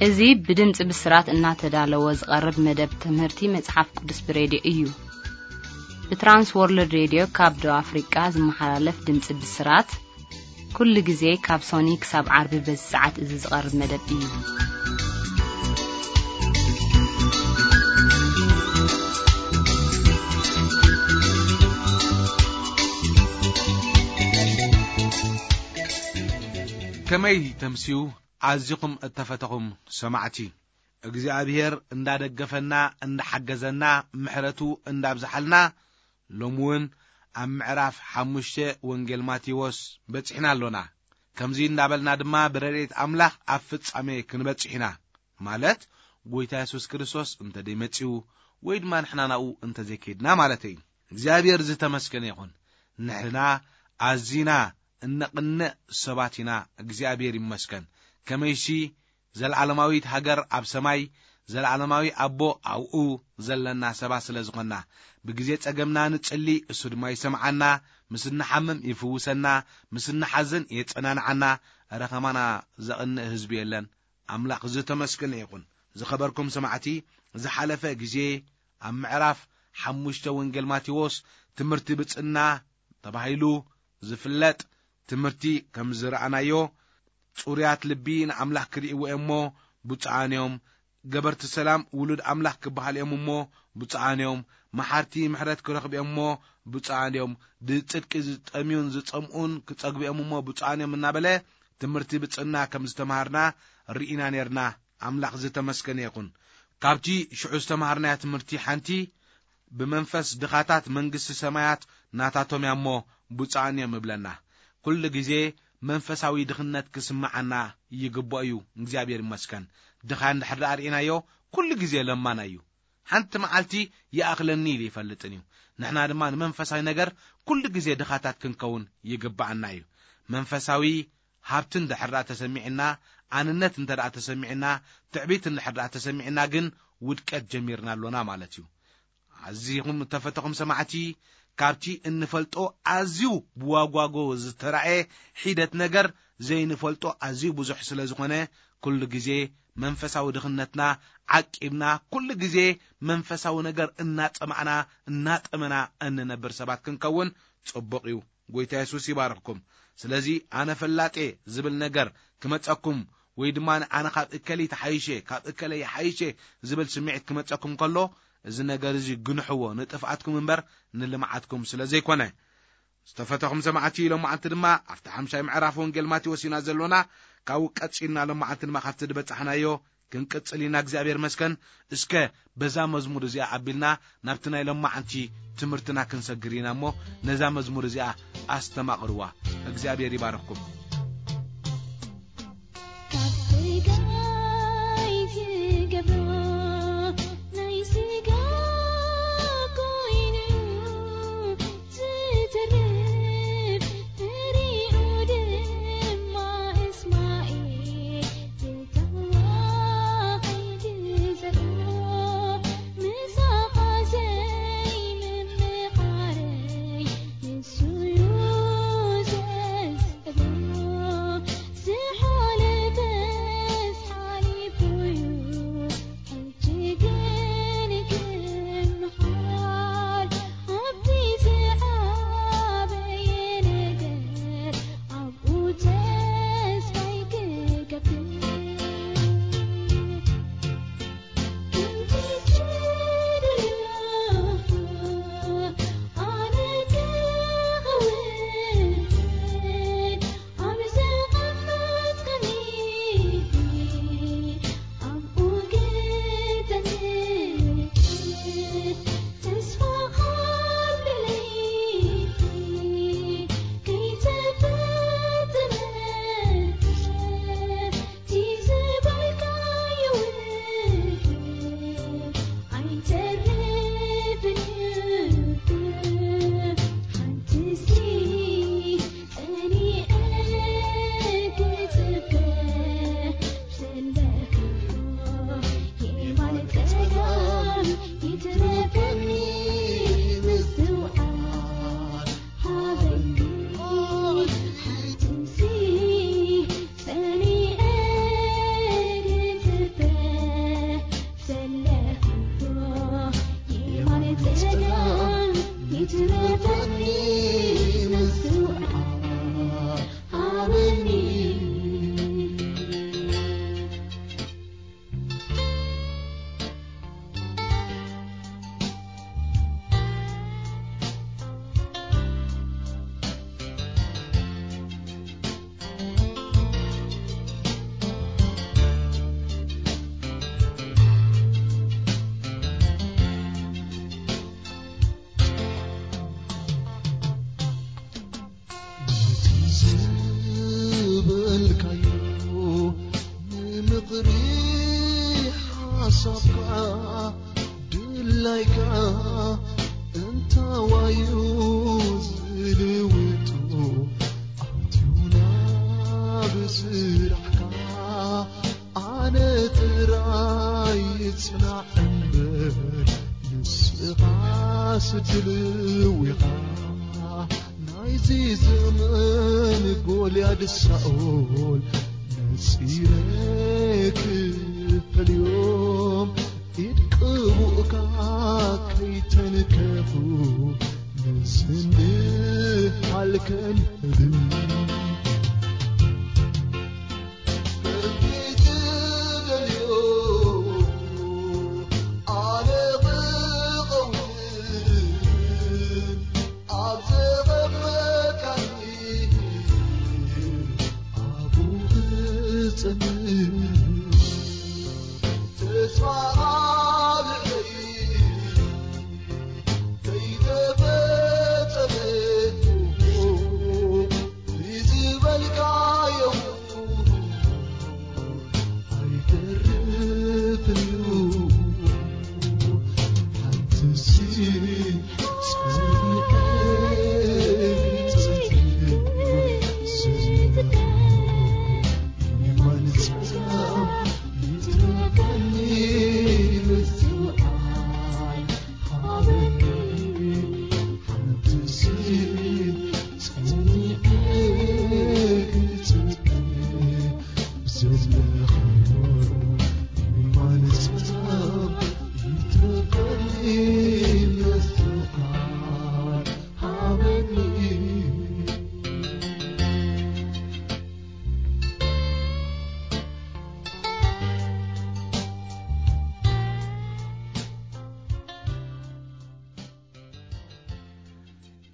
እዚ ብድምፂ ብስራት እናተዳለወ ዝቐርብ መደብ ትምህርቲ መጽሓፍ ቅዱስ ብሬድዮ እዩ። ብትራንስ ወርልድ ሬድዮ ካብ ደቡብ ኣፍሪቃ ዝመሓላለፍ ድምፂ ብስራት፣ ኩሉ ግዜ ካብ ሶኒ ክሳብ ዓርቢ በዚ ሰዓት እዚ ዝቐርብ መደብ እዩ። ከመይ ተምስዩ ኣዚኹም እተፈተኹም ሰማዕቲ። እግዚኣብሔር እንዳደገፈና፣ እንዳሓገዘና፣ ምሕረቱ እንዳብዝሓልና፣ ሎሚ እውን ኣብ ምዕራፍ ሓሙሽተ ወንጌል ማቴዎስ በጺሕና ኣሎና። ከምዚ እንዳበልና ድማ ብረድኤት ኣምላኽ ኣብ ፍጻሜ ክንበጽሕ ኢና። ማለት፣ ጎይታ የሱስ ክርስቶስ እንተ ደይመጺኡ ወይ ድማ ንሕና ናብኡ እንተ ዘይከድና ማለተይ እዩ። እግዚኣብሔር ዝተመስገነ ይኹን። ንሕና ኣዚና እነቕንእ ሰባት ኢና። እግዚኣብሔር ይመስገን። ከመይሲ ዘለዓለማዊት ሃገር ኣብ ሰማይ፣ ዘለዓለማዊ ኣቦ ኣብኡ ዘለና ሰባት ስለ ዝኾንና፣ ብግዜ ጸገምና ንጽሊ፣ እሱ ድማ ይሰምዓና፣ ምስ እንሓምም ይፍውሰና፣ ምስ እንሓዝን የጸናንዓና፣ ኧረ ኸማና ዘቕንእ ህዝቢ የለን። ኣምላኽ ዝተመስገነ ይኹን። ዝኸበርኩም ሰማዕቲ፣ ዝሓለፈ ግዜ ኣብ ምዕራፍ ሓሙሽተ ወንጌል ማቴዎስ ትምህርቲ ብጽና ተባሂሉ ዝፍለጥ ትምህርቲ ከም ዝረኣናዮ፣ ጽሩያት ልቢ ንኣምላኽ ክርእይዎ እሞ ብፁዓን እዮም፣ ገበርቲ ሰላም ውሉድ ኣምላኽ ክበሃል እዮም እሞ ብፁዓን እዮም፣ መሓርቲ ምሕረት ክረኽቡ እዮም እሞ ብፁዓን እዮም፣ ብጽድቂ ዝጠምዩን ዝጸምኡን ክጸግቡ እዮም እሞ ብፁዓን እዮም እናበለ ትምህርቲ ብጽና ከም ዝተምሃርና ርኢና ኔርና። ኣምላኽ ዝተመስገነ ይኹን። ካብቲ ሽዑ ዝተምሃርናዮ ትምህርቲ ሓንቲ፣ ብመንፈስ ድኻታት መንግስቲ ሰማያት ናታቶም እያ እሞ ብፁዓን እዮም እብለና። ኩሉ ግዜ መንፈሳዊ ድኽነት ክስምዓና ይግብኦ እዩ። እግዚኣብሔር ይመስገን። ድኻ እንድሕር ደኣ ርኢናዮ፣ ኩሉ ግዜ ለማና እዩ። ሓንቲ መዓልቲ ይኣኽለኒ ኢሉ ይፈልጥን እዩ። ንሕና ድማ ንመንፈሳዊ ነገር ኩሉ ግዜ ድኻታት ክንከውን ይግብኣና እዩ። መንፈሳዊ ሃብቲ እንድሕር ደኣ ተሰሚዕና፣ ኣንነት እንተ ደኣ ተሰሚዕና፣ ትዕቢት እንድሕር ደኣ ተሰሚዕና ግን ውድቀት ጀሚርና ኣሎና ማለት እዩ። ኣዚኹም እተፈተኹም ሰማዕቲ፣ ካብቲ እንፈልጦ ኣዝዩ ብዋጓጎ ዝተራእየ ሒደት ነገር ዘይንፈልጦ ኣዝዩ ብዙሕ ስለ ዝኾነ፣ ኩሉ ግዜ መንፈሳዊ ድኽነትና ዓቂብና፣ ኩሉ ግዜ መንፈሳዊ ነገር እናጸማዕና፣ እናጠመና እንነብር ሰባት ክንከውን ጽቡቕ እዩ። ጎይታ የሱስ ይባርኽኩም። ስለዚ ኣነ ፈላጤ ዝብል ነገር ክመጸኩም ወይ ድማ ኣነ ካብ እከሊ ተሓይሸ፣ ካብ እከለ ይሓይሸ ዝብል ስምዒት ክመጸኩም ከሎ፣ እዚ ነገር እዚ ግንሕዎ፣ ንጥፍኣትኩም እምበር ንልምዓትኩም ስለ ዘይኮነ። ዝተፈተኹም ሰማዕቲ፣ ሎማዓንቲ ድማ ኣብቲ ሓምሻይ ምዕራፍ ወንጌል ማቴዎስ ኢና ዘሎና። ካብኡ ቀጺልና ሎማዓንቲ ድማ ካብቲ ዝበጻሕናዮ ክንቅጽል ኢና። እግዚኣብሔር መስከን። እስከ በዛ መዝሙር እዚኣ ኣቢልና ናብቲ ናይ ሎማዓንቲ ትምህርትና ክንሰግር ኢና እሞ፣ ነዛ መዝሙር እዚኣ ኣስተማቕርዋ። እግዚኣብሔር ይባርኽኩም። ካብ ስጋይ ዝገብሮ ናይ ስጋ ኮይኑ ዝተርፍ፣ ፍሬኡ ድማ እስማኤል ዝተዋህደ ዘርኢ። ምሳኻ ዘይምምኻረይ ንሱ እዩ ዘስዕቦ። ሳኦል ነጺረ ክፈልዮም፣ ኢድ ቅቡእካ ከይተንከፉ፣ ንስንዲ ሃልከን ህድም።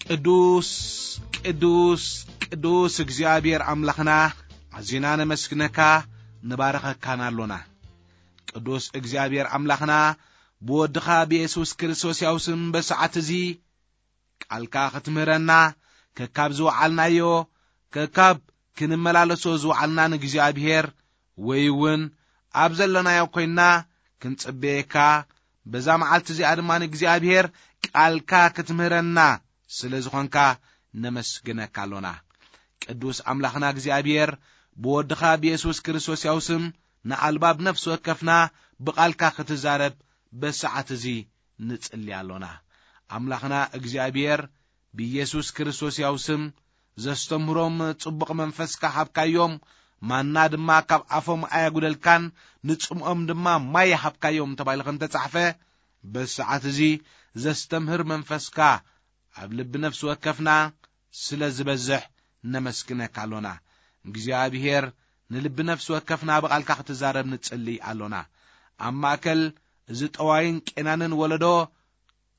ቅዱስ፣ ቅዱስ፣ ቅዱስ እግዚኣብሔር ኣምላኽና፣ ኣዚና ነመስግነካ፣ ንባረኸካን ኣሎና። ቅዱስ እግዚኣብሔር ኣምላኽና፣ ብወድኻ ብየሱስ ክርስቶስ ያው ስም በሰዓት እዚ ቃልካ ክትምህረና፣ ከካብ ዝወዓልናዮ፣ ከካብ ክንመላለሶ ዝወዓልና ንእግዚኣብሔር፣ ወይ እውን ኣብ ዘለናዮ ኮይንና ክንጽበየካ፣ በዛ መዓልቲ እዚኣ ድማ ንእግዚኣብሔር ቃልካ ክትምህረና ስለ ዝኾንካ ነመስግነካ ኣሎና። ቅዱስ ኣምላኽና እግዚኣብሔር፣ ብወድኻ ብየሱስ ክርስቶስ ያው ስም ንኣልባብ ነፍሲ ወከፍና ብቓልካ ክትዛረብ በሰዓት እዚ ንጽሊ ኣሎና። ኣምላኽና እግዚኣብሔር፣ ብየሱስ ክርስቶስ ያው ስም ዘስተምህሮም ጽቡቕ መንፈስካ ሃብካዮም፣ ማና ድማ ካብ ኣፎም ኣየጉደልካን፣ ንጽምኦም ድማ ማይ ሃብካዮም ተባሂሉ ከም ተጻሕፈ፣ በሰዓት እዚ ዘስተምህር መንፈስካ ኣብ ልቢ ነፍሲ ወከፍና ስለ ዝበዝሕ ነመስግነካ ኣሎና። እግዚኣብሔር ንልቢ ነፍሲ ወከፍና ብቓልካ ክትዛረብ ንጽሊ ኣሎና። ኣብ ማእከል እዚ ጠዋይን ቄናንን ወለዶ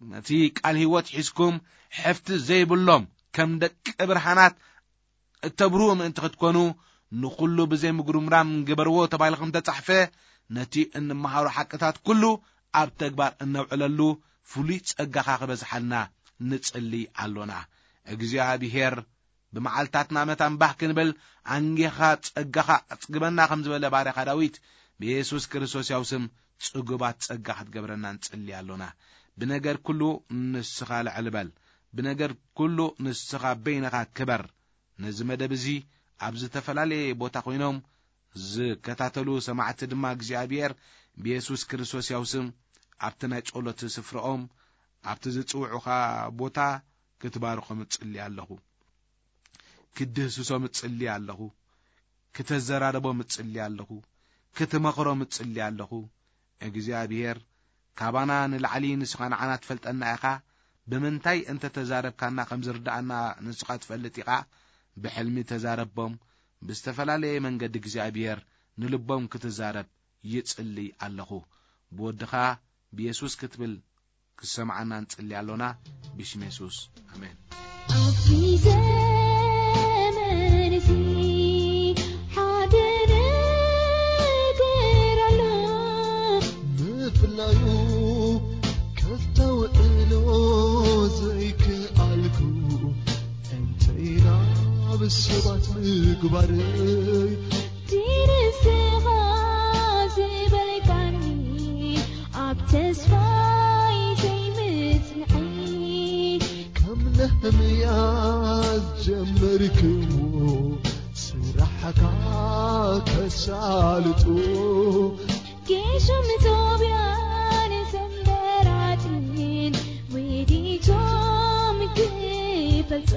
ነቲ ቃል ህይወት ሒዝኩም ሕፍቲ ዘይብሎም ከም ደቂ ብርሃናት እተብርሁ ምእንቲ ክትኮኑ ንኹሉ ብዘይ ምጉርምራም ግበርዎ ተባሂሉ ከም ተጻሕፈ ነቲ እንመሃሮ ሓቅታት ኩሉ ኣብ ተግባር እነውዕለሉ ፍሉይ ጸጋኻ ክበዝሓልና ንጽሊ ኣሎና። እግዚኣብሔር ብመዓልታትና መታን ባህ ክንብል ኣንጌኻ ጸጋኻ ኣጽግበና ከም ዝበለ ባርያኻ ዳዊት ብየሱስ ክርስቶስ ያው ስም ጽጉባት ጸጋ ክትገብረና ንጽሊ ኣሎና። ብነገር ኩሉ ንስኻ ልዕል በል። ብነገር ኩሉ ንስኻ በይንኻ ክበር። ነዚ መደብ እዚ ኣብ ዝተፈላለየ ቦታ ኮይኖም ዝከታተሉ ሰማዕቲ ድማ እግዚኣብሔር ብየሱስ ክርስቶስ ያው ስም ኣብቲ ናይ ጸሎት ስፍራኦም ኣብቲ ዝጽውዑኻ ቦታ ክትባርኾም እጽሊ ኣለኹ። ክድህስሶም እጽሊ ኣለኹ። ክተዘራርቦም እጽሊ ኣለኹ። ክትመኽሮም እጽሊ ኣለኹ። እግዚኣብሔር ካባና ንላዕሊ ንስኻ ንዓና ትፈልጠና ኢኻ። ብምንታይ እንተ ተዛረብካና ከም ዝርድኣና ንስኻ ትፈልጥ ኢኻ። ብሕልሚ ተዛረቦም። ብዝተፈላለየ መንገዲ እግዚኣብሔር ንልቦም ክትዛረብ ይጽሊ ኣለኹ። ብወድኻ ብየሱስ ክትብል ክሰምዓና ንጽሊ ኣሎና። ብሽም የሱስ፣ ኣሜን። ኣብዚ ዘመን እዚ ሓደ ነገር ኣሎ። ምፍላዩ ከስተውዕሎ ዘይከኣልኩ፣ እንተይና ብሰባት ምግባረይ። ድንስኻ ዝበልካኒ ኣብ ተስፋይ ዘይምጽንዐይ። ከም ነህምያ ጀመርክዎ ስራሕካ ከሳልጡ። ጌሾም ጦብያን ሰንበላጥን ውዲቶም ክፈልጡ።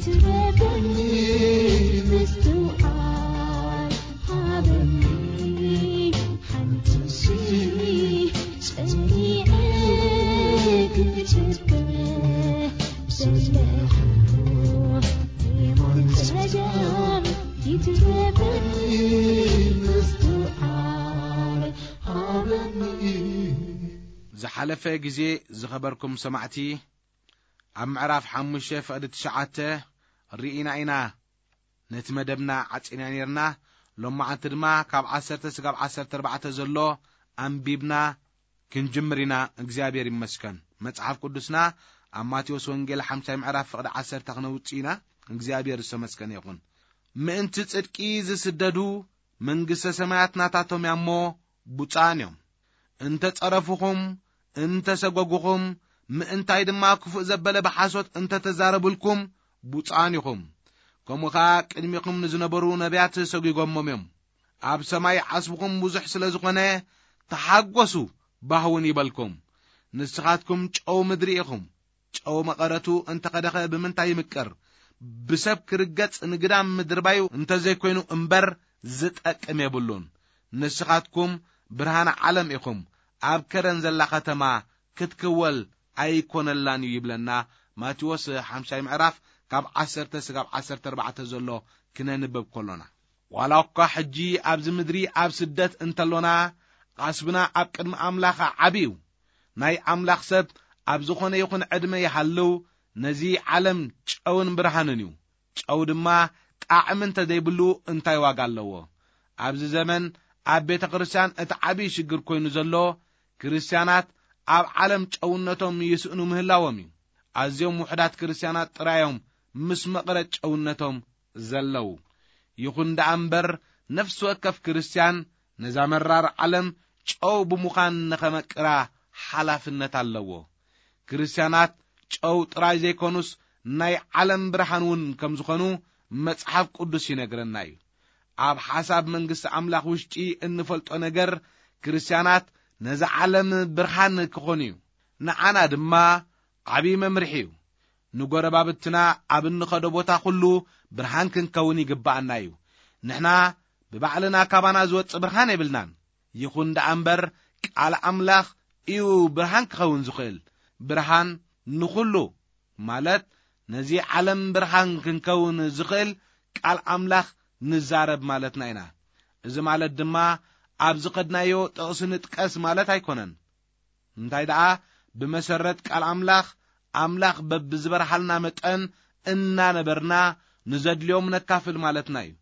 ትረፈኒ ምስትውዓል ሃበኒ ሓንቲ ጸኒዐ ክጽበ ዘለኹ የማን ጸጋም ይትረፈኒ ምስትውዓል ሃበኒ። ዝሓለፈ ግዜ ዝኸበርኩም ሰማዕቲ፣ ኣብ ምዕራፍ ሓሙሽተ ፍቕዲ ትሽዓተ ርኢና ኢና። ነቲ መደብና ዓጺና ነርና። ሎማዓንቲ ድማ ካብ ዓሰርተ ስጋብ ዓሰርተ ኣርባዕተ ዘሎ ኣንቢብና ክንጅምር ኢና። እግዚኣብሔር ይመስገን። መጽሓፍ ቅዱስና ኣብ ማቴዎስ ወንጌል ሓምሳይ ምዕራፍ ፍቕዲ ዓሰርተ ክነውጽእ ኢና። እግዚኣብሔር ዝተመስገነ ይኹን። ምእንቲ ጽድቂ ዝስደዱ መንግስተ ሰማያት ናታቶም እያ እሞ ብፁዓን እዮም። እንተ ጸረፉኹም፣ እንተ ሰጎጉኹም፣ ምእንታይ ድማ ክፉእ ዘበለ ብሓሶት እንተ ተዛረቡልኩም፣ ብፁዓን ኢኹም። ከምኡ ኸኣ ቅድሚኹም ንዝነበሩ ነቢያት ሰጒጎሞም እዮም። ኣብ ሰማይ ዓስብኹም ብዙሕ ስለ ዝኾነ፣ ተሓጎሱ፣ ባህውን ይበልኩም። ንስኻትኩም ጨው ምድሪ ኢኹም። ጨው መቐረቱ እንተ ኸደኸ ብምንታይ ይምቅር? ብሰብ ክርገጽ ንግዳም ምድርባዩ እንተ ዘይኮይኑ እምበር ዝጠቅም የብሉን። ንስኻትኩም ብርሃን ዓለም ኢኹም። ኣብ ከረን ዘላ ከተማ ክትክወል ኣይኮነላን እዩ ይብለና። ማቴዎስ ሓምሳይ ምዕራፍ ካብ ዓሰርተ ስጋብ ዓሰርተ ኣርባዕተ ዘሎ ክነንበብ ከሎና፣ ዋላ እኳ ሕጂ ኣብዚ ምድሪ ኣብ ስደት እንተሎና፣ ዓስብና ኣብ ቅድሚ ኣምላኽ ዓቢ እዩ። ናይ ኣምላኽ ሰብ ኣብ ዝኾነ ይኹን ዕድመ ይሃልው፣ ነዚ ዓለም ጨውን ብርሃንን እዩ። ጨው ድማ ጣዕሚ እንተ ዘይብሉ እንታይ ዋጋ ኣለዎ? ኣብዚ ዘመን ኣብ ቤተ ክርስቲያን እቲ ዓቢ ሽግር ኮይኑ ዘሎ፣ ክርስቲያናት ኣብ ዓለም ጨውነቶም ይስእኑ ምህላዎም እዩ። ኣዝዮም ውሑዳት ክርስቲያናት ጥራዮም ምስ መቕረት ጨውነቶም ዘለዉ። ይኹን ደኣ እምበር፣ ነፍሲ ወከፍ ክርስቲያን ነዛ መራር ዓለም ጨው ብምዃን ንኸመቅራ ሓላፍነት ኣለዎ። ክርስቲያናት ጨው ጥራይ ዘይኮኑስ፣ ናይ ዓለም ብርሃን እውን ከም ዝኾኑ መጽሓፍ ቅዱስ ይነግረና እዩ። ኣብ ሓሳብ መንግስቲ ኣምላኽ ውሽጢ እንፈልጦ ነገር፣ ክርስቲያናት ነዛ ዓለም ብርሃን ክኾኑ እዩ። ንዓና ድማ ዓብዪ መምርሒ እዩ። ንጎረባብትና ኣብ እንኸዶ ቦታ ኩሉ ብርሃን ክንከውን ይግብኣና እዩ። ንሕና ብባዕልና ካባና ዝወጽእ ብርሃን የብልናን። ይኹን ደኣ እምበር፣ ቃል ኣምላኽ እዩ ብርሃን ክኸውን ዝኽእል። ብርሃን ንኹሉ ማለት ነዚ ዓለም ብርሃን ክንከውን ዝኽእል ቃል ኣምላኽ ንዛረብ ማለትና ኢና። እዚ ማለት ድማ ኣብ ዝኸድናዮ ጥቕሲ ንጥቀስ ማለት ኣይኮነን። እንታይ ደኣ፣ ብመሰረት ቃል ኣምላኽ፣ ኣምላኽ በብዝበርሃልና መጠን እናነበርና ንዘድልዮም ነካፍል ማለትና እዩ።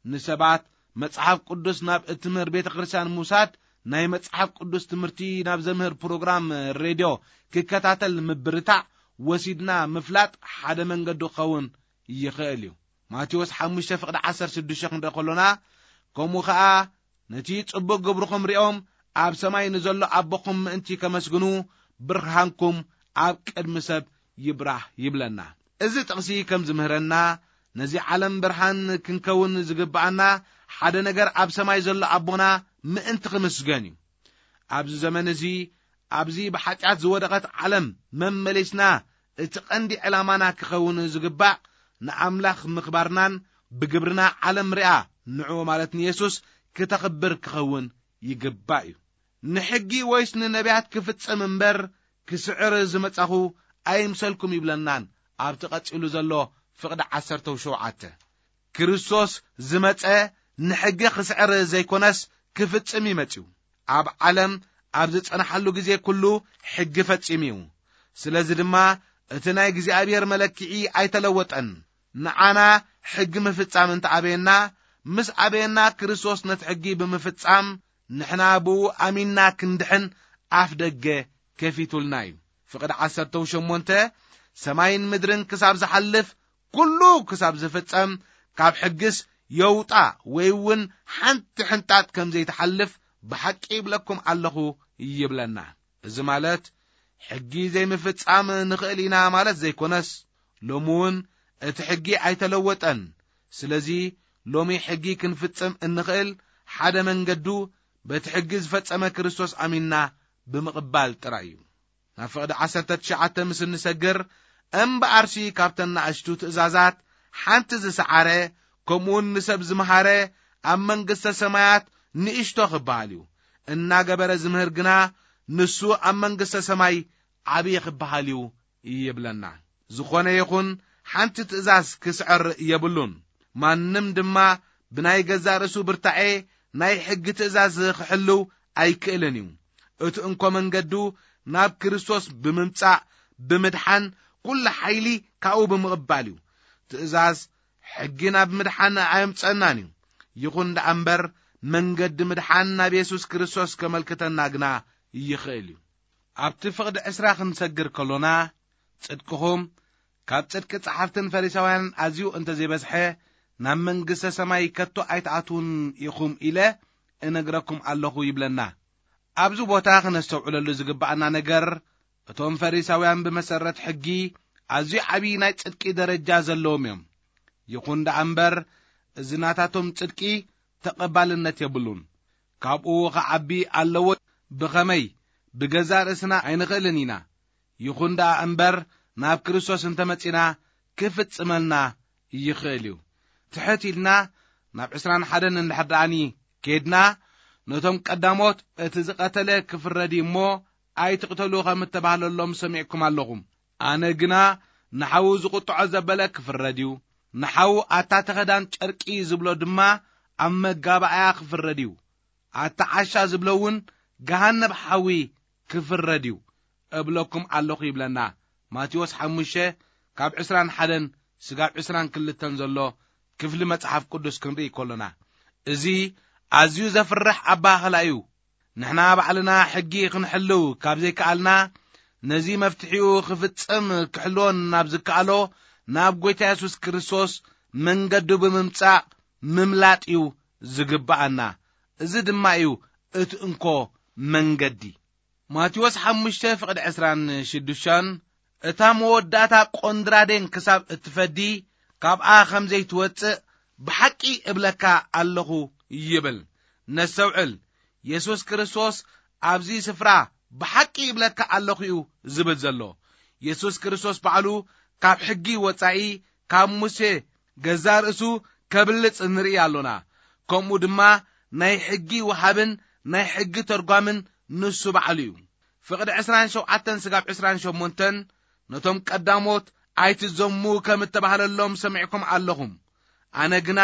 ንሰባት መጽሓፍ ቅዱስ ናብ እትምህር ቤተ ክርስቲያን ምውሳድ፣ ናይ መጽሓፍ ቅዱስ ትምህርቲ ናብ ዘምህር ፕሮግራም ሬድዮ ክከታተል ምብርታዕ፣ ወሲድና ምፍላጥ ሓደ መንገዲ ክኸውን ይኽእል እዩ። ማቴዎስ ሓሙሽተ ፍቕዲ ዓሰርተ ሽዱሽተ ክንርኢ ከሎና፣ ከምኡ ኸኣ ነቲ ጽቡቕ ግብርኹም ሪኦም ኣብ ሰማይ ንዘሎ ኣቦኹም ምእንቲ ከመስግኑ፣ ብርሃንኩም ኣብ ቅድሚ ሰብ ይብራህ ይብለና። እዚ ጥቕሲ ከም ዝምህረና፣ ነዚ ዓለም ብርሃን ክንከውን ዝግብኣና ሓደ ነገር ኣብ ሰማይ ዘሎ ኣቦና ምእንቲ ክምስገን እዩ። ኣብዚ ዘመን እዚ፣ ኣብዚ ብሓጢኣት ዝወደቐት ዓለም መመሊስና እቲ ቀንዲ ዕላማና ክኸውን ዝግባእ ንኣምላኽ ምኽባርናን ብግብርና ዓለም ርኣ ንዕኡ ማለት ንየሱስ ክተኽብር ክኸውን ይግባእ እዩ። ንሕጊ ወይስ ንነቢያት ክፍጽም እምበር ክስዕር ዝመጻኹ ኣይምሰልኩም ይብለናን ኣብቲ ቀጺሉ ዘሎ ፍቕዲ ዓሰርተ ሸውዓተ። ክርስቶስ ዝመጸ ንሕጊ ክስዕር ዘይኮነስ ክፍጽም እዩ መጺኡ። ኣብ ዓለም ኣብ ዝጸንሓሉ ግዜ ኩሉ ሕጊ ፈጺሙ እዩ። ስለዚ ድማ እቲ ናይ እግዚኣብሔር መለክዒ ኣይተለወጠን። ንዓና ሕጊ ምፍጻም እንተ ኣበየና፣ ምስ ኣበየና ክርስቶስ ነቲ ሕጊ ብምፍጻም ንሕና ብኡ ኣሚንና ክንድሕን ኣፍ ደገ ከፊቱልና እዩ። ፍቕዲ ዓሰርተ ሸሞንተ፣ ሰማይን ምድርን ክሳብ ዝሓልፍ፣ ኩሉ ክሳብ ዝፍጸም፣ ካብ ሕግስ የውጣ ወይ እውን ሓንቲ ሕንጣጥ ከም ዘይትሓልፍ ብሓቂ ይብለኩም ኣለኹ ይብለና። እዚ ማለት ሕጊ ዘይምፍጻም ንኽእል ኢና ማለት ዘይኮነስ፣ ሎሚ እውን እቲ ሕጊ ኣይተለወጠን። ስለዚ ሎሚ ሕጊ ክንፍጽም እንኽእል ሓደ መንገዱ በቲ ሕጊ ዝፈጸመ ክርስቶስ ኣሚንና ብምቕባል ጥራይ እዩ። ናብ ፍቕዲ ዓሰርተ ትሽዓተ ምስ እንሰግር፣ እምበኣርሲ ካብተን ንኣሽቱ ትእዛዛት ሓንቲ ዝሰዓረ፣ ከምኡውን ንሰብ ዝመሃረ ኣብ መንግሥተ ሰማያት ንእሽቶ ክበሃል እዩ። እናገበረ ዝምህር ግና ንሱ ኣብ መንግሥተ ሰማይ ዓብዪ ክበሃል እዩ ይብለና። ዝኾነ ይኹን ሓንቲ ትእዛዝ ክስዕር የብሉን። ማንም ድማ ብናይ ገዛእ ርእሱ ብርታዔ ናይ ሕጊ ትእዛዝ ክሕልው ኣይክእልን እዩ። እቲ እንኮ መንገዱ ናብ ክርስቶስ ብምምጻእ፣ ብምድሓን፣ ኩሉ ሓይሊ ካብኡ ብምቕባል እዩ። ትእዛዝ ሕጊ ናብ ምድሓን ኣየምጸናን እዩ። ይኹን ደኣ እምበር መንገዲ ምድሓን ናብ የሱስ ክርስቶስ ከመልክተና ግና ይኽእል እዩ። ኣብቲ ፍቕዲ ዕስራ ክንሰግር ከሎና፣ ጽድቅኹም ካብ ጽድቂ ጸሓፍትን ፈሪሳውያንን ኣዝዩ እንተ ዘይበዝሐ፣ ናብ መንግስተ ሰማይ ከቶ ኣይትኣትዉን ኢኹም ኢለ እነግረኩም ኣለኹ ይብለና። ኣብዚ ቦታ ክነስተውዕለሉ ዝግብኣና ነገር፣ እቶም ፈሪሳውያን ብመሰረት ሕጊ ኣዝዩ ዓብዪ ናይ ጽድቂ ደረጃ ዘለዎም እዮም። ይኹን ደኣ እምበር፣ እዚ ናታቶም ጽድቂ ተቐባልነት የብሉን። ካብኡ ኸዓቢ ኣለዎ። ብኸመይ? ብገዛእ ርእስና ኣይንኽእልን ኢና። ይኹን ደኣ እምበር፣ ናብ ክርስቶስ እንተ መጺና፣ ክፍጽመልና ይኽእል እዩ። ትሕት ኢልና ናብ ዕስራን ሓደን እንድሕር ደኣኒ ኬድና፣ ነቶም ቀዳሞት እቲ ዝቐተለ ክፍረድ እዩ እሞ፣ ኣይትቕተሉ ከም እተባህለሎም ሰሚዕኩም ኣለኹም። ኣነ ግና ንሓዉ ዝቕጥዖ ዘበለ ክፍረድ እዩ፣ ንሓዉ ኣታ ተኸዳን ጨርቂ ዝብሎ ድማ ኣብ መጋባእያ ክፍረድ እዩ፣ ኣታ ዓሻ ዝብሎ እውን ገሃነብ ሓዊ ክፍረድ እዩ እብለኩም ኣለኹ ይብለና። ማቴዎስ ሓሙሽተ ካብ ዕስራን ሓደን ስጋብ ዕስራን ክልተን ዘሎ ክፍሊ መጽሓፍ ቅዱስ ክንርኢ ከሎና፣ እዚ ኣዝዩ ዘፍርሕ ኣባህላ እዩ። ንሕና ባዕልና ሕጊ ክንሕልው ካብ ዘይከኣልና፣ ነዚ መፍትሒኡ ክፍጽም ክሕልዎን ናብ ዝከኣሎ ናብ ጐይታ የሱስ ክርስቶስ መንገዱ ብምምጻእ ምምላጥ እዩ ዝግብኣና። እዚ ድማ እዩ እቲ እንኮ መንገዲ። ማቴዎስ ሓሙሽተ ፍቕዲ ዕስራን ሽዱሽተን፣ እታ መወዳእታ ቆንድራዴን ክሳብ እትፈዲ፣ ካብኣ ከም ዘይትወጽእ ብሓቂ እብለካ ኣለኹ ይብል። ነስተውዕል፣ የሱስ ክርስቶስ ኣብዚ ስፍራ ብሓቂ እብለካ ኣለኹ እዩ ዝብል ዘሎ። የሱስ ክርስቶስ ባዕሉ ካብ ሕጊ ወጻኢ፣ ካብ ሙሴ ገዛእ ርእሱ ከብልጽ ንርኢ ኣሎና። ከምኡ ድማ ናይ ሕጊ ወሃብን ናይ ሕጊ ተርጓምን ንሱ ባዕሉ እዩ። ፍቕዲ ዕስራን ሸውዓተን ስጋብ ዕስራን ሸሞንተን፣ ነቶም ቀዳሞት ኣይትዘሙ ከም እተባህለሎም ሰሚዕኩም ኣለኹም። ኣነ ግና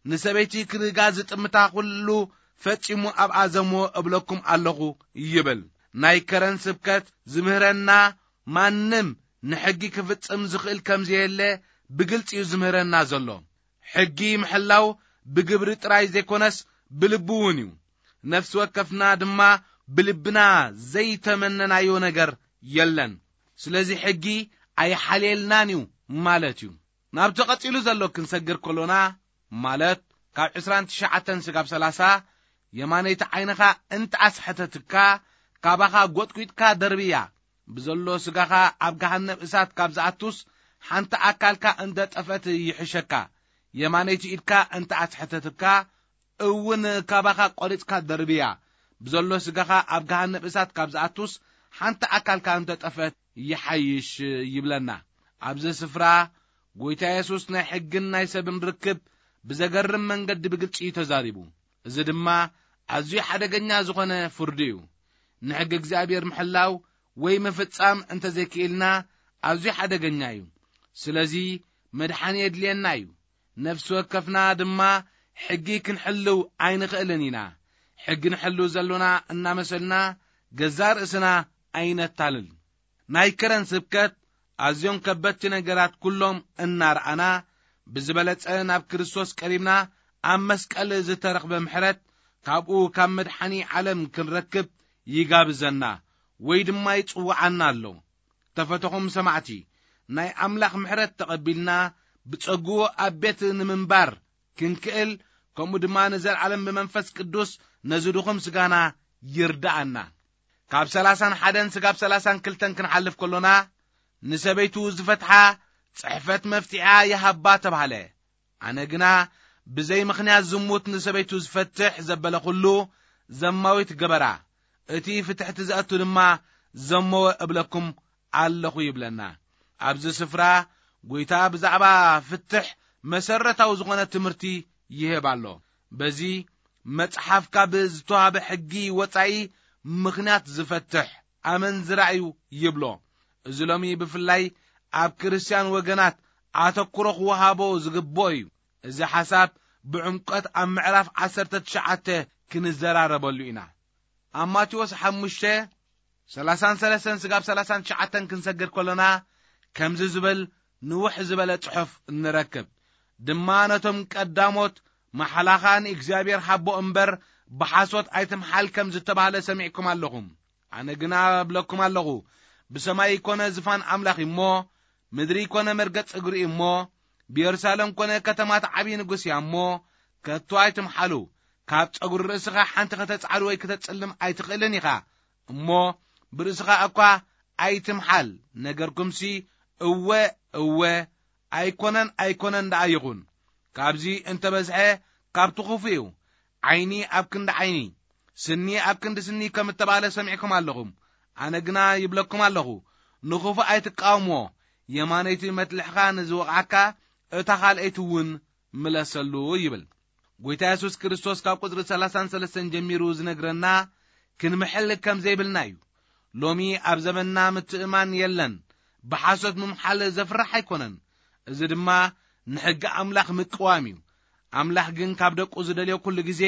ንሰበይቲ ክርጋ ዝጥምታ ኩሉ ፈጺሙ ኣብኣ ዘምዎ እብለኩም ኣለኹ ይብል። ናይ ከረን ስብከት ዝምህረና፣ ማንም ንሕጊ ክፍጽም ዝኽእል ከም ዘየለ ብግልጺ እዩ ዝምህረና ዘሎ። ሕጊ ምሕላው ብግብሪ ጥራይ ዘይኮነስ ብልቢ እውን እዩ። ነፍሲ ወከፍና ድማ ብልብና ዘይተመነናዮ ነገር የለን። ስለዚ ሕጊ ኣይሓልየልናን እዩ ማለት እዩ። ናብቲ ቀጺሉ ዘሎ ክንሰግር ከሎና፣ ማለት ካብ ዕስራን ትሽዓተን ስጋብ ሰላሳ፣ የማነይቲ ዓይንኻ እንተ ኣስሐተትካ፣ ካባኻ ጐጥጒጥካ ደርብያ። ብዘሎ ስጋኻ ኣብ ገሃነብ እሳት ካብ ዝኣቱስ፣ ሓንቲ ኣካልካ እንተ ጠፍአት ይሕሸካ። የማነይቲ ኢድካ እንተ ኣስሐተትካ እውን ካባኻ ቈሪጽካ ደርብያ። ብዘሎ ስጋኻ ኣብ ገሃነብ እሳት ካብ ዝኣቱስ፣ ሓንቲ ኣካልካ እንተ ጠፍአት ይሓይሽ ይብለና። ኣብዚ ስፍራ ጐይታ የሱስ ናይ ሕግን ናይ ሰብን ርክብ ብዘገርም መንገዲ ብግልጺ እዩ ተዛሪቡ። እዚ ድማ ኣዝዩ ሓደገኛ ዝኾነ ፍርዲ እዩ። ንሕጊ እግዚኣብሔር ምሕላው ወይ ምፍጻም እንተ ዘይክኢልና ኣዝዩ ሓደገኛ እዩ። ስለዚ መድሓኒ የድልየና እዩ። ነፍሲ ወከፍና ድማ ሕጊ ክንሕልው ኣይንኽእልን ኢና። ሕጊ ንሕልው ዘሎና እናመሰልና ገዛእ ርእስና ኣይነታልል። ናይ ከረን ስብከት ኣዝዮም ከበድቲ ነገራት ኩሎም እናረኣና፣ ብዝበለጸ ናብ ክርስቶስ ቀሪብና ኣብ መስቀል ዝተረኽበ ምሕረት ካብኡ ካብ መድሓኒ ዓለም ክንረክብ ይጋብዘና ወይ ድማ ይጽውዓና ኣሎ። ተፈተኹም ሰማዕቲ፣ ናይ ኣምላኽ ምሕረት ተቐቢልና ብጸግኡ ኣብ ቤት ንምንባር ክንክእል፣ ከምኡ ድማ ንዘለዓለም ብመንፈስ ቅዱስ ነዚ ድኹም ስጋና ይርድኣና። ካብ ሰላሳን ሓደን ስጋብ ሰላሳን ክልተን ክንሓልፍ ከሎና፣ ንሰበይቱ ዝፈትሓ ጽሕፈት መፍትሒኣ ይሃባ ተባህለ። ኣነ ግና ብዘይ ምኽንያት ዝሙት ንሰበይቱ ዝፈትሕ ዘበለ ኩሉ ዘማዊት ገበራ፣ እቲ ፍትሕቲ ዘእቱ ድማ ዘመወ እብለኩም ኣለኹ ይብለና። ኣብዚ ስፍራ ጐይታ ብዛዕባ ፍትሕ መሰረታዊ ዝኾነ ትምህርቲ ይህብ ኣሎ። በዚ መጽሓፍ ካብ ዝተዋህበ ሕጊ ወጻኢ ምኽንያት ዝፈትሕ ኣመንዝራ እዩ ይብሎ። እዚ ሎሚ ብፍላይ ኣብ ክርስትያን ወገናት ኣተኩሮ ክወሃቦ ዝግብኦ እዩ። እዚ ሓሳብ ብዕምቆት ኣብ ምዕራፍ ዓሰርተ ትሽዓተ ክንዘራረበሉ ኢና። ኣብ ማቴዎስ ሓሙሽተ፣ ሰላሳን ሰለስተን ስጋብ ሰላሳን ትሽዓተን ክንሰግር ከሎና፣ ከምዚ ዝብል ንውሕ ዝበለ ጽሑፍ ንረክብ። ድማ ነቶም ቀዳሞት፣ "መሓላኻ ንእግዚኣብሔር ሃቦ እምበር፣ ብሓሶት ኣይትምሓል" ከም ዝተባህለ ሰሚዕኩም ኣለኹም። ኣነ ግና እብለኩም ኣለኹ፣ ብሰማይ ኮነ ዝፋን ኣምላኽ እሞ፣ ምድሪ ኮነ መርገጽ እግሩ እሞ፣ ብየሩሳሌም ኮነ ከተማት ዓብዪ ንጉስ እያ እሞ፣ ከቶ ኣይትምሓሉ። ካብ ጸጉሪ ርእስኻ ሓንቲ ከተጻዕድ ወይ ከተጽልም ኣይትኽእልን ኢኻ። እሞ ብርእስኻ እኳ ኣይትምሓል፣ ነገርኩምሲ እወ፣ እወ፣ ኣይኮነን፣ ኣይኮነን ደኣ ይኹን። ካብዚ እንተበዝሐ ካብቲ ክፉእ እዩ። ዓይኒ ኣብ ክንዲ ዓይኒ፣ ስኒ ኣብ ክንዲ ስኒ ከም እተባህለ ሰሚዕኩም ኣለኹም። ኣነ ግና ይብለኩም ኣለኹ፣ ንኽፉእ ኣይትቃወምዎ፣ የማነይቲ መትልሕኻ ንዝወቕዓካ እታ ካልኣይቲ እውን ምለሰሉ ይብል። ጎይታ የሱስ ክርስቶስ ካብ ቁጽሪ ሰላሳን ሰለስተን ጀሚሩ ዝነግረና ክንምሕል ከም ዘይብልና እዩ። ሎሚ ኣብ ዘመንና ምትእማን የለን። ብሓሶት ምምሓል ዘፍርሕ ኣይኮነን። እዚ ድማ ንሕጊ ኣምላኽ ምቅዋም እዩ። ኣምላኽ ግን ካብ ደቁ ዝደልዮ ኩሉ ግዜ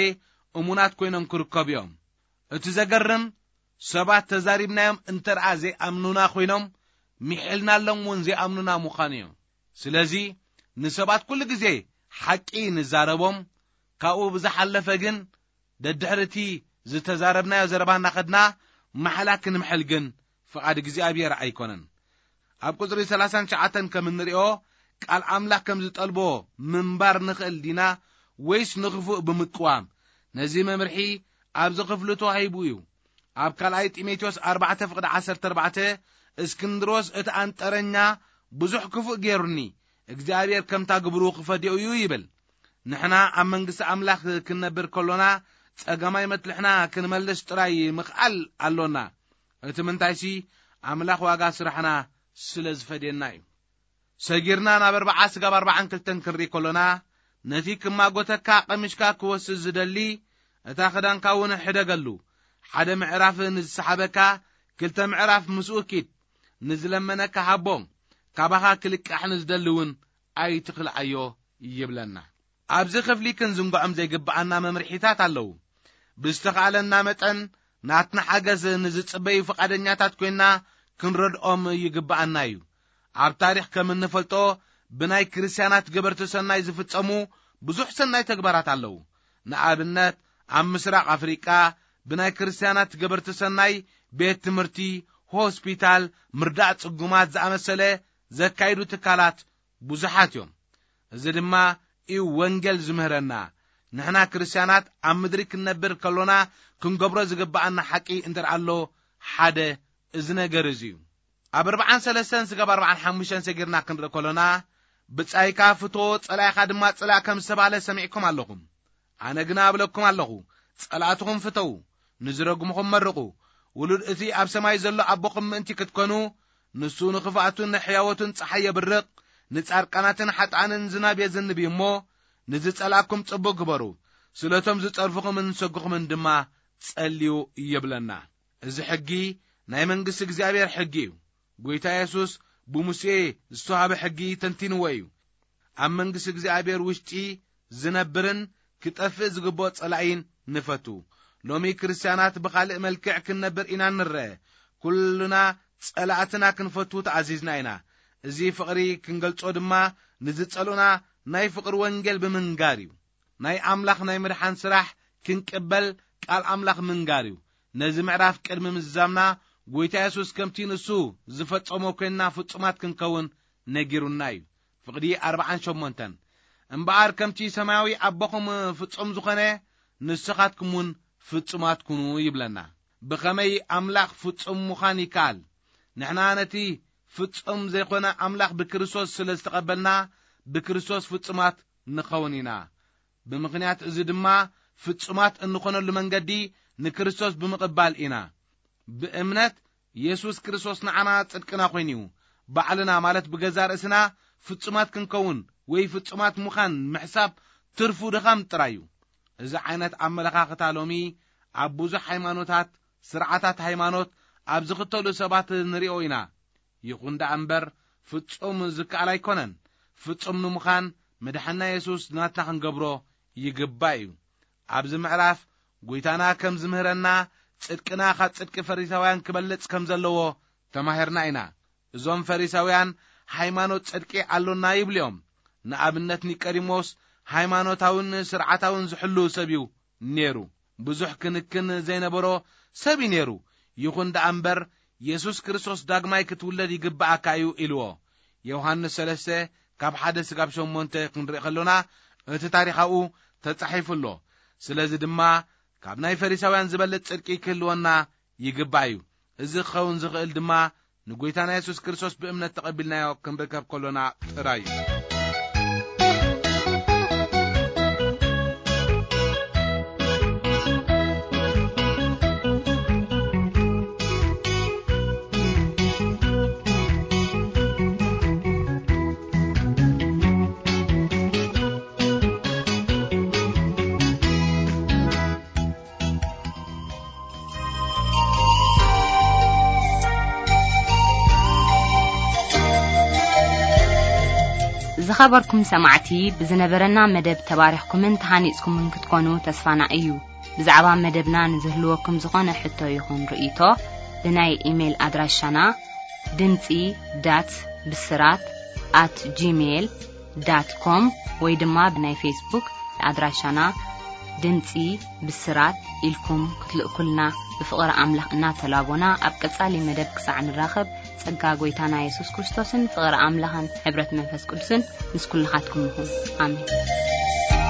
እሙናት ኮይኖም ክርከቡ እዮም። እቲ ዘገርም፣ ሰባት ተዛሪብናዮም እንተ ደኣ ዘይኣምኑና ኮይኖም፣ ሚሒልናሎም እውን ዘይኣምኑና ምዃኑ እዩ። ስለዚ ንሰባት ኩሉ ግዜ ሓቂ ንዛረቦም፣ ካብኡ ብዝሓለፈ ግን ደድሕሪ እቲ ዝተዛረብናዮ ዘረባ እናኸድና ማሕላ ክንምሕል ግን ፍቓድ እግዚኣብሔር ኣይኮነን። ኣብ ቁጽሪ ሰላሳን ትሽዓተን ከም እንሪኦ፣ ቃል ኣምላኽ ከም ዝጠልቦ ምንባር ንኽእል ዲና ወይስ ንኽፉእ ብምቅዋም? ነዚ መምርሒ ኣብዚ ክፍሊ ተዋሂቡ እዩ። ኣብ ካልኣይ ጢሞቴዎስ ኣርባዕተ ፍቕዲ ዓሰርተ ኣርባዕተ፣ "እስክንድሮስ እቲ ኣንጠረኛ ብዙሕ ክፉእ ገይሩኒ፣ እግዚኣብሔር ከምታ ግብሩ ክፈድዮ እዩ" ይብል። ንሕና ኣብ መንግስቲ ኣምላኽ ክንነብር ከሎና፣ ጸገማይ መትልሕና ክንመልስ ጥራይ ምኽኣል ኣሎና። እቲ ምንታይሲ፣ ኣምላኽ ዋጋ ስራሕና ስለ ዝፈድየና እዩ። ሰጊርና ናብ ኣርብዓ ስጋብ ኣርብዓን ክልተን ክንርኢ ከሎና፣ ነቲ ክማጎተካ ቀሚሽካ ክወስድ ዝደሊ፣ እታ ክዳንካ እውን ሕደገሉ። ሓደ ምዕራፍ ንዝሰሓበካ፣ ክልተ ምዕራፍ ምስኡ ኪድ። ንዝለመነካ ሃቦ፣ ካባኻ ክልቃሕ ንዝደሊ እውን ኣይትኽልኣዮ ይብለና። ኣብዚ ክፍሊ ክንዝንግዖም ዘይግብኣና መምርሒታት ኣለዉ። ብዝተኻእለና መጠን ናትና ሓገዝ ንዝጽበዩ ፍቓደኛታት ኮይንና ክንረድኦም ይግብኣና እዩ። ኣብ ታሪኽ ከም እንፈልጦ፣ ብናይ ክርስትያናት ገበርቲ ሰናይ ዝፍጸሙ ብዙሕ ሰናይ ተግባራት ኣለዉ። ንኣብነት፣ ኣብ ምስራቕ ኣፍሪቃ ብናይ ክርስትያናት ገበርቲ ሰናይ ቤት ትምህርቲ፣ ሆስፒታል፣ ምርዳእ ጽጉማት ዝኣመሰለ ዘካይዱ ትካላት ብዙሓት እዮም። እዚ ድማ እዩ ወንጌል ዝምህረና። ንሕና ክርስትያናት ኣብ ምድሪ ክንነብር ከሎና ክንገብሮ ዝግብኣና ሓቂ እንተ ደኣ ኣሎ፣ ሓደ እዚ ነገር እዚ እዩ። ኣብ ኣርብዓን ሰለስተን ስጋብ ኣርብዓን ሓሙሽተን ሰጊርና ክንርኢ ከሎና፣ "ብጻይካ ፍቶ፣ ጸላኢኻ ድማ ጽላእ" ከም ዝተባህለ ሰሚዕኩም ኣለኹም። ኣነ ግና እብለኩም ኣለኹ፣ ጸላእትኹም ፍተዉ፣ ንዝረግምኹም መርቑ። ውሉድ እቲ ኣብ ሰማይ ዘሎ ኣቦኹም ምእንቲ ክትኮኑ፣ ንሱ ንኽፍኣቱን ንሕያወቱን ጸሓይ የብርቕ፣ ንጻድቃናትን ሓጥኣንን ዝናብ የዝንብ እዩ እሞ፣ ንዝጸላእኩም ጽቡቕ ግበሩ፣ ስለቶም ዝጸርፍኹምን ዝሰግኹምን ድማ ጸልዩ ይብለና። እዚ ሕጊ ናይ መንግስቲ እግዚኣብሔር ሕጊ እዩ። ጎይታ የሱስ ብሙሴ ዝተዋህበ ሕጊ ተንቲንዎ እዩ። ኣብ መንግስቲ እግዚኣብሔር ውሽጢ ዝነብርን ክጠፍእ ዝግብኦ ጸላኢን ንፈቱ። ሎሚ ክርስትያናት ብኻልእ መልክዕ ክንነብር ኢና ንረአ። ኩልና ጸላእትና ክንፈቱ ተኣዚዝና ኢና። እዚ ፍቕሪ ክንገልጾ ድማ ንዝጸልኡና ናይ ፍቕሪ ወንጌል ብምንጋር እዩ። ናይ ኣምላኽ ናይ ምድሓን ስራሕ ክንቅበል ቃል ኣምላኽ ምንጋር እዩ። ነዚ ምዕራፍ ቅድሚ ምዝዛምና፣ ጎይታ የሱስ ከምቲ ንሱ ዝፈጸሞ ኮይንና ፍጹማት ክንከውን ነጊሩና እዩ። ፍቕዲ ኣርብዓን ሸሞንተን፣ "እምበኣር ከምቲ ሰማያዊ ኣቦኹም ፍጹም ዝኾነ፣ ንስኻትኩም እውን ፍጹማት ኩኑ" ይብለና። ብኸመይ ኣምላኽ ፍጹም ምዃን ይከኣል? ንሕና ነቲ ፍጹም ዘይኮነ ኣምላኽ ብክርስቶስ ስለ ዝተቐበልና፣ ብክርስቶስ ፍጹማት ንኸውን ኢና። ብምኽንያት እዚ ድማ ፍጹማት እንኾነሉ መንገዲ ንክርስቶስ ብምቕባል ኢና። ብእምነት የሱስ ክርስቶስ ንዓና ጽድቅና ኮይኑ እዩ። ባዕልና፣ ማለት ብገዛእ ርእስና ፍጹማት ክንከውን ወይ ፍጹማት ምዃን ምሕሳብ ትርፉ ድኻም ጥራይ እዩ። እዚ ዓይነት ኣመለኻኽታ ሎሚ ኣብ ብዙሕ ሃይማኖታት፣ ስርዓታት ሃይማኖት ኣብ ዝኽተሉ ሰባት ንሪኦ ኢና። ይኹን ደኣ እምበር ፍጹም ዝከኣል ኣይኮነን። ፍጹም ንምዃን መድሓና የሱስ ናትና ክንገብሮ ይግባእ እዩ። ኣብዚ ምዕራፍ ጎይታና ከም ዝምህረና ጽድቅና ካብ ጽድቂ ፈሪሳውያን ክበልጽ ከም ዘለዎ ተማሂርና ኢና። እዞም ፈሪሳውያን ሃይማኖት ጽድቂ ኣሎና ይብሉ እዮም። ንኣብነት ኒቆዲሞስ ሃይማኖታውን ስርዓታውን ዝሕሉ ሰብ እዩ ነይሩ። ብዙሕ ክንክን ዘይነበሮ ሰብ እዩ ነይሩ። ይኹን ደኣ እምበር የሱስ ክርስቶስ ዳግማይ ክትውለድ ይግብኣካ እዩ ኢልዎ። ዮሃንስ ሰለስተ ካብ ሓደ ስጋብ ሸሞንተ ክንርኢ ከሎና እቲ ታሪኻኡ ተጻሒፉ ኣሎ። ስለዚ ድማ ካብ ናይ ፈሪሳውያን ዝበልጽ ጽድቂ ክህልወና ይግባእ እዩ። እዚ ክኸውን ዝኽእል ድማ ንጎይታና የሱስ ክርስቶስ ብእምነት ተቐቢልናዮ ክንርከብ ከሎና ጥራይ እዩ። ዝኸበርኩም ሰማዕቲ፣ ብዝነበረና መደብ ተባሪኽኩምን ተሃኒጽኩምን ክትኮኑ ተስፋና እዩ። ብዛዕባ መደብና ንዝህልወኩም ዝኾነ ሕቶ ይኹን ርእይቶ፣ ብናይ ኢሜይል ኣድራሻና ድምጺ ዳት ብስራት ኣት ጂሜይል ዳት ኮም ወይ ድማ ብናይ ፌስቡክ ኣድራሻና ድምጺ ብስራት ኢልኩም ክትልእኩልና ብፍቕሪ ኣምላኽ እናተላቦና፣ ኣብ ቀጻሊ መደብ ክሳዕ ንራኸብ፣ ጸጋ ጐይታና የሱስ ክርስቶስን ፍቕሪ ኣምላኽን ሕብረት መንፈስ ቅዱስን ምስ ኩልኻትኩም ይኹን። ኣሜን።